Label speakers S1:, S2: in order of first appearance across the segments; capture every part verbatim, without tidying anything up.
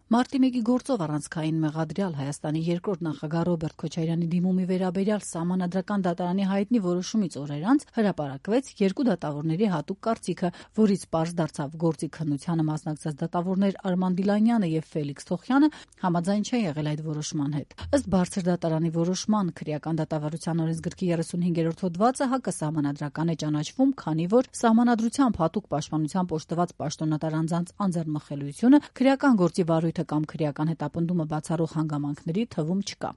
S1: Մարտի մեկի գործով առանցքային մեղադրյալ Հայաստանի երկրորդ նախագահ Ռոբերտ Քոչարյանի դիմումի վերաբերյալ Սահմանադրական դատարանի հայտնի որոշումից օրեր անց հրապարակվեց երկու դատավորների հատուկ կարծիքը, որից պարզ դարձավ գործի քննությանը մասնակցած դատավորներ Արման Դիլանյանը եւ Ֆելիքս Թոխյանը համաձայն չեն եղել այդ որոշման հետ։ Ըստ բարձր դատարանի որոշման քրեական դատավարության օրենսգրքի երեսունհինգերորդ հոդվածը հակասահմանադրական է ճանաչվում, քանի որ սահմանադրությամբ հատուկ պաշտպանությամբ օժտված պաշտոնատար անձանց անձեռնմխելիությունը քրեական գործի վարույթ կամ քրեական հետապնդումը բացառող հանգամանքների թվում չկա։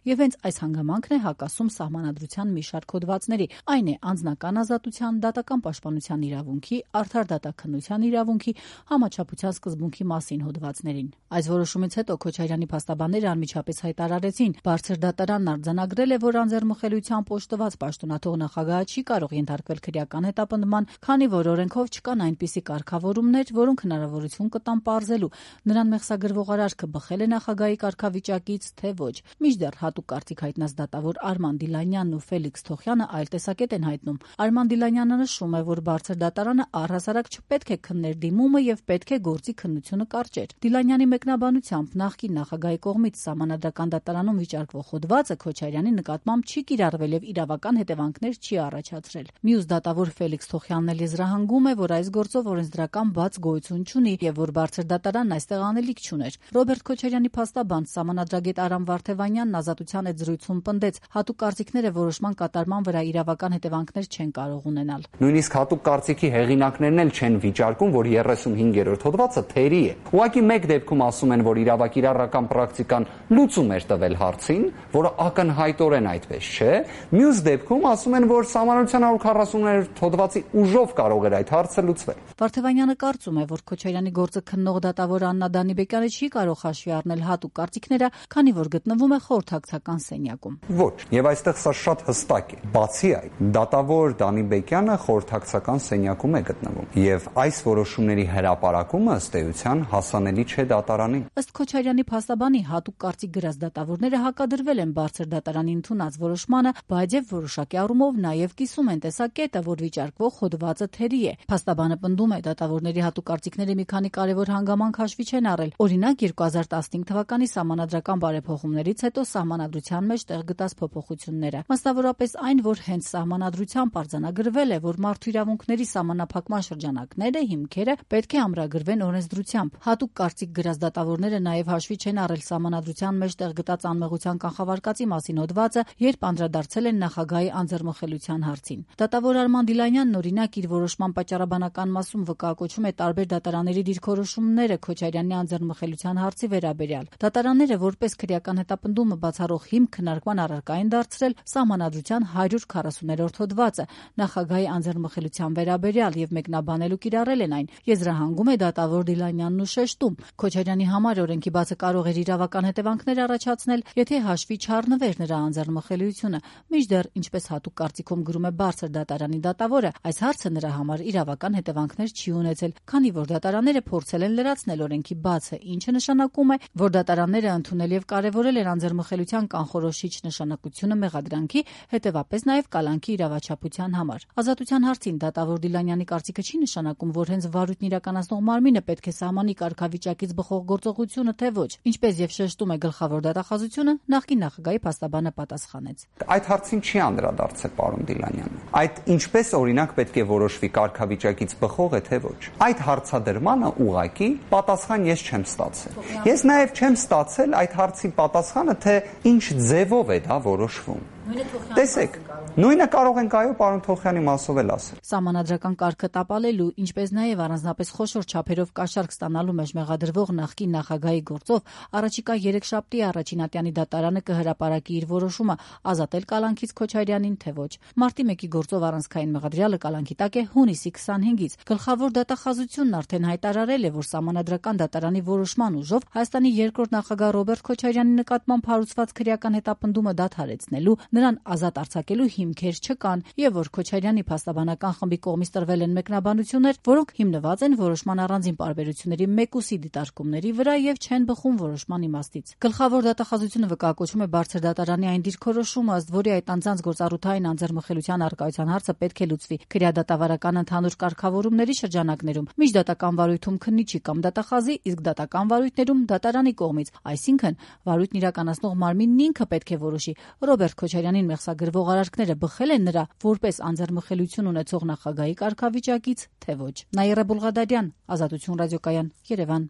S1: Եվ հենց այս հանգամանքն է հակասում սահմանադրության մի շարք հոդվածների, այն է անձնական ազատության, դատական պաշտպանության իրավունքի, արդար դատաքննության իրավունքի, համաչափության սկզբունքի մասին հոդվածներին։ Այս որոշումից հետո Քոչարյանի փաստաբանները անմիջապես հայտարարեցին, բարձր դատարանն արձանագրել է, որ անձեռնմխելիությամբ օժտված պաշտոնաթող նախագահը չի կարող ենթարկվել քրեական հետապնդման, քանի որ օրենքով չկան այնպիսի կարգավորումներ, որոնք հնարավորություն կտան պարզելու նրան մեղսագրվող արարքը բխել է նախագահի կարգավիճակից, թե ոչ։ Մինչդեռ հատուկ կարծիք հայտնած դատավոր Արման Դիլանյանն ու Ֆելիքս Թոխյանը այլ տեսակետ են հայտնում։ Արման Դիլանյանը նշում է, որ բարձր դատարանը առհասարակ չպետք է քններ դիմումը եւ պետք է գործի քննությունը կարճեր։ Դիլանյանի մեկնաբանությամբ նախկին նախագահի կողմից Սահմանադրական դատարանում վիճարկվող հոդվածը Քոչարյանի նկատմամբ չի կիրառվել եւ իրավական հետևանքներ չի առաջացրել։ Մյուս դատավոր Ֆելիքս Թոխյանն էլ եզրահանգում է, որ այս գործով օրենսդրական բաց գոյություն չունի եւ որ բարձր դատարանն այստեղ անելիք չուներ։ Ռոբերտ Քոչարյանի փաստաբան սահմանադրագետ Արամ Վարդևանյանն Ազատության հետ զրույցում պնդեց, հատուկ կարծիքները որոշման կատարման վրա իրավական հետևանքներ չեն կարող ունենալ։
S2: Նույնիսկ հատուկ կարծիքի հեղինակներն էլ չեն վիճարկում, որ երեսունհինգերորդ հոդվածը թերի է։ Ուղղակի մեկ դեպքում ասում են, որ իրավակիրառական պրակտիկան լուծում էր տվել հարցին, որը ակնհայտորեն այդպես չէ։ Մյուս դեպքում ասում են, որ Սահմանադրության հարյուր քառասուններորդ հոդվածի ուժով կարող էր այդ հարցը լուծվել։
S1: Վարդևանյանը կարծում է, որ Քոչարյանի գործը քննող դատավոր Աննա Դանիբեկյանը չի կարող հաշվի առնել հատուկ կարծիքները, քանի որ գտնվում է խորհրդակցական սենյակում։
S2: Ոչ, եւ այստեղ սա շատ հստակ է։ Բացի այդ, դատավոր Դանիբեկյանը խորհրդակցական սենյակում է գտնվում, եւ այս որոշումների հրապարակումը ըստ էության հասանելի չէ դատարանին։
S1: Ըստ Քոչարյանի փաստաբանի հատուկ կարծիք գրած դատավորները հակադրվել են բարձր դատարանի ընդունած որոշմանը, բայց եւ որոշակի առումով նաեւ կիսում են տեսակետը, որ վիճարկվող հոդվածը թերի է։ Փաստաբանը պնդում է, դատավորների հատուկ կարծիքները մի քանի կարևոր հանգամանք հաշվի չեն առել։ Օրինակ երկու հազար տասնհինգ թվականի սահմանադրական բարեփոխումներից հետո սահմանադրության մեջ տեղ գտած փոփոխությունները, մասնավորապես այն, որ հենց սահմանադրությամբ արձանագրվել է, որ մարդու իրավունքների սահմանափակման շրջանակները, հիմքերը պետք է ամրագրվեն օրենսդրությամբ։ Հատուկ կարծիք գրած դատավորները նաև հաշվի չեն առել սահմանադրության մեջ տեղ գտած անմեղության կանխավարկածի մասին հոդվածը, երբ անդրադարձել են նախագահի անձեռնմխելիության հարցին։ Դատավոր Արման Դիլանյանն օրինակ իր որոշման պատճառաբանական մասում վկայակոչում է տարբեր դատարանների դիրքորոշումները Քոչարյանի անձեռնմխելիության հարցի վերաբերյալ։ Դատարանները որպես քրեական հետապնդումը բացառող հիմք քննարկման առարկա են դարձրել Սահմանադրության հարյուր քառասուններորդ հոդվածը նախագահի անձեռնմխելիության վերաբերյալ եւ մեկնաբանել ու կիրառել են այն։ Եզրահանգում է դատավոր Դիլանյանն ու շեշտում, Քոչարյանի համար օրենքի բացը կարող էր իրավական հետևանքներ առաջացնել, եթե հաշվի չառնվեր նրա անձեռնմխելիությունը։ Մինչդեռ, ինչպես հատուկ կարծիքում գրում է բարձր դատարանի դատավորը, այս հարցը նրա համար իրավական հետևանքներ չի ունեցել, քանի որ դատարանները փորձել են լրացնել օրենքի բացը, ինչը նշանակում է, որ դատարանները ընդունել եւ կարեւորել են անձեռնմխելիության կանխորոշիչ նշանակությունը մեղադրանքի, հետեւապես նաեւ կալանքի իրավաչափության համար։ Ազատության հարցին դատավոր Դիլանյանի կարծիքը չի նշանակում, որ հենց վարույթն իրականացնող մարմինը պետք է սահմանի կարգավիճակից բխող գործողությունը, թե ոչ։ Ինչպես եւ շեշտում է գլխավոր դատախազությունը, նախկին նախագահի փաստաբանը պատասխանեց։
S2: Այդ հարցին չի անդրադարձել պարոն Դիլանյանը։ Այդ ինչպես օրինակ պետք է որոշվի կարգավիճակից բխող է, թե ոչ։ Այդ հարցադրմանը ուղղակի պատասխան ես չեմ ստացել։ Ես նաեւ չեմ ստացել այդ հարցի պատասխանը, թե ինչ ձևով է դա որոշվում։ Տեսեք, նույնը կարող ենք այո պարոն Թոխյանի մասով էլ ասել։
S1: Սահմանադրական կարգը տապալելու, ինչպես նաև առանձնապես խոշոր չափերով կաշառք ստանալու մեջ մեղադրվող նախկին նախագահի գործով առաջիկա երեքշաբթի առաջինատյանի դատարանը կհրապարակի իր որոշումը ազատել կալանքից Քոչարյանին, թե ոչ։ Մարտի մեկի գործով առանցքային մեղադրյալը կալանքի տակ է հունիսի քսանհինգից։ Գլխավոր դատախազությունն արդեն հայտարարել է, որ Սահմանադրական դատարանի որոշման ուժով Հայաստանի երկրորդ նախագահ Ռոբերտ Քոչարյանի նկատմամբ հարուցված քրեական հետապնդումը դադարեցնելու, նրան ազատ արձակելու հիմքեր չկան եւ որ Քոչարյանի փաստաբանական խմբի կողմից տրվել են մեկնաբանություններ, որոնք հիմնված են որոշման առանձին պարբերությունների մեկուսի դիտարկումների վրա եւ չեն բխում որոշման իմաստից։ Գլխավոր դատախազությունը վկայակոչում է բարձր դատարանի այն դիրքորոշումը, ըստ որի այդ անձանց գործառութային անձեռմխելիության առկայության հարցը պետք է լուծվի քրեադատավարական ընդհանուր կարգավորումների շրջանակներում, միջդատական վարույթում քննիչի կամ դատախազի, իսկ դատական վարույթներում դատարանի կողմից, այսինքն վարույթն իրականացնող մարմինն ինքը պետք է որոշի Ռոբերտ Քոչարյանին մեղսագրվող արարքները բխել են նրա որպես անձեռմխելիություն ունեցող նախագահի կարգավիճակից, թե ոչ։ Նաիրա Բուլղադարյան, Ազատություն ռադիոկայան, Երևան։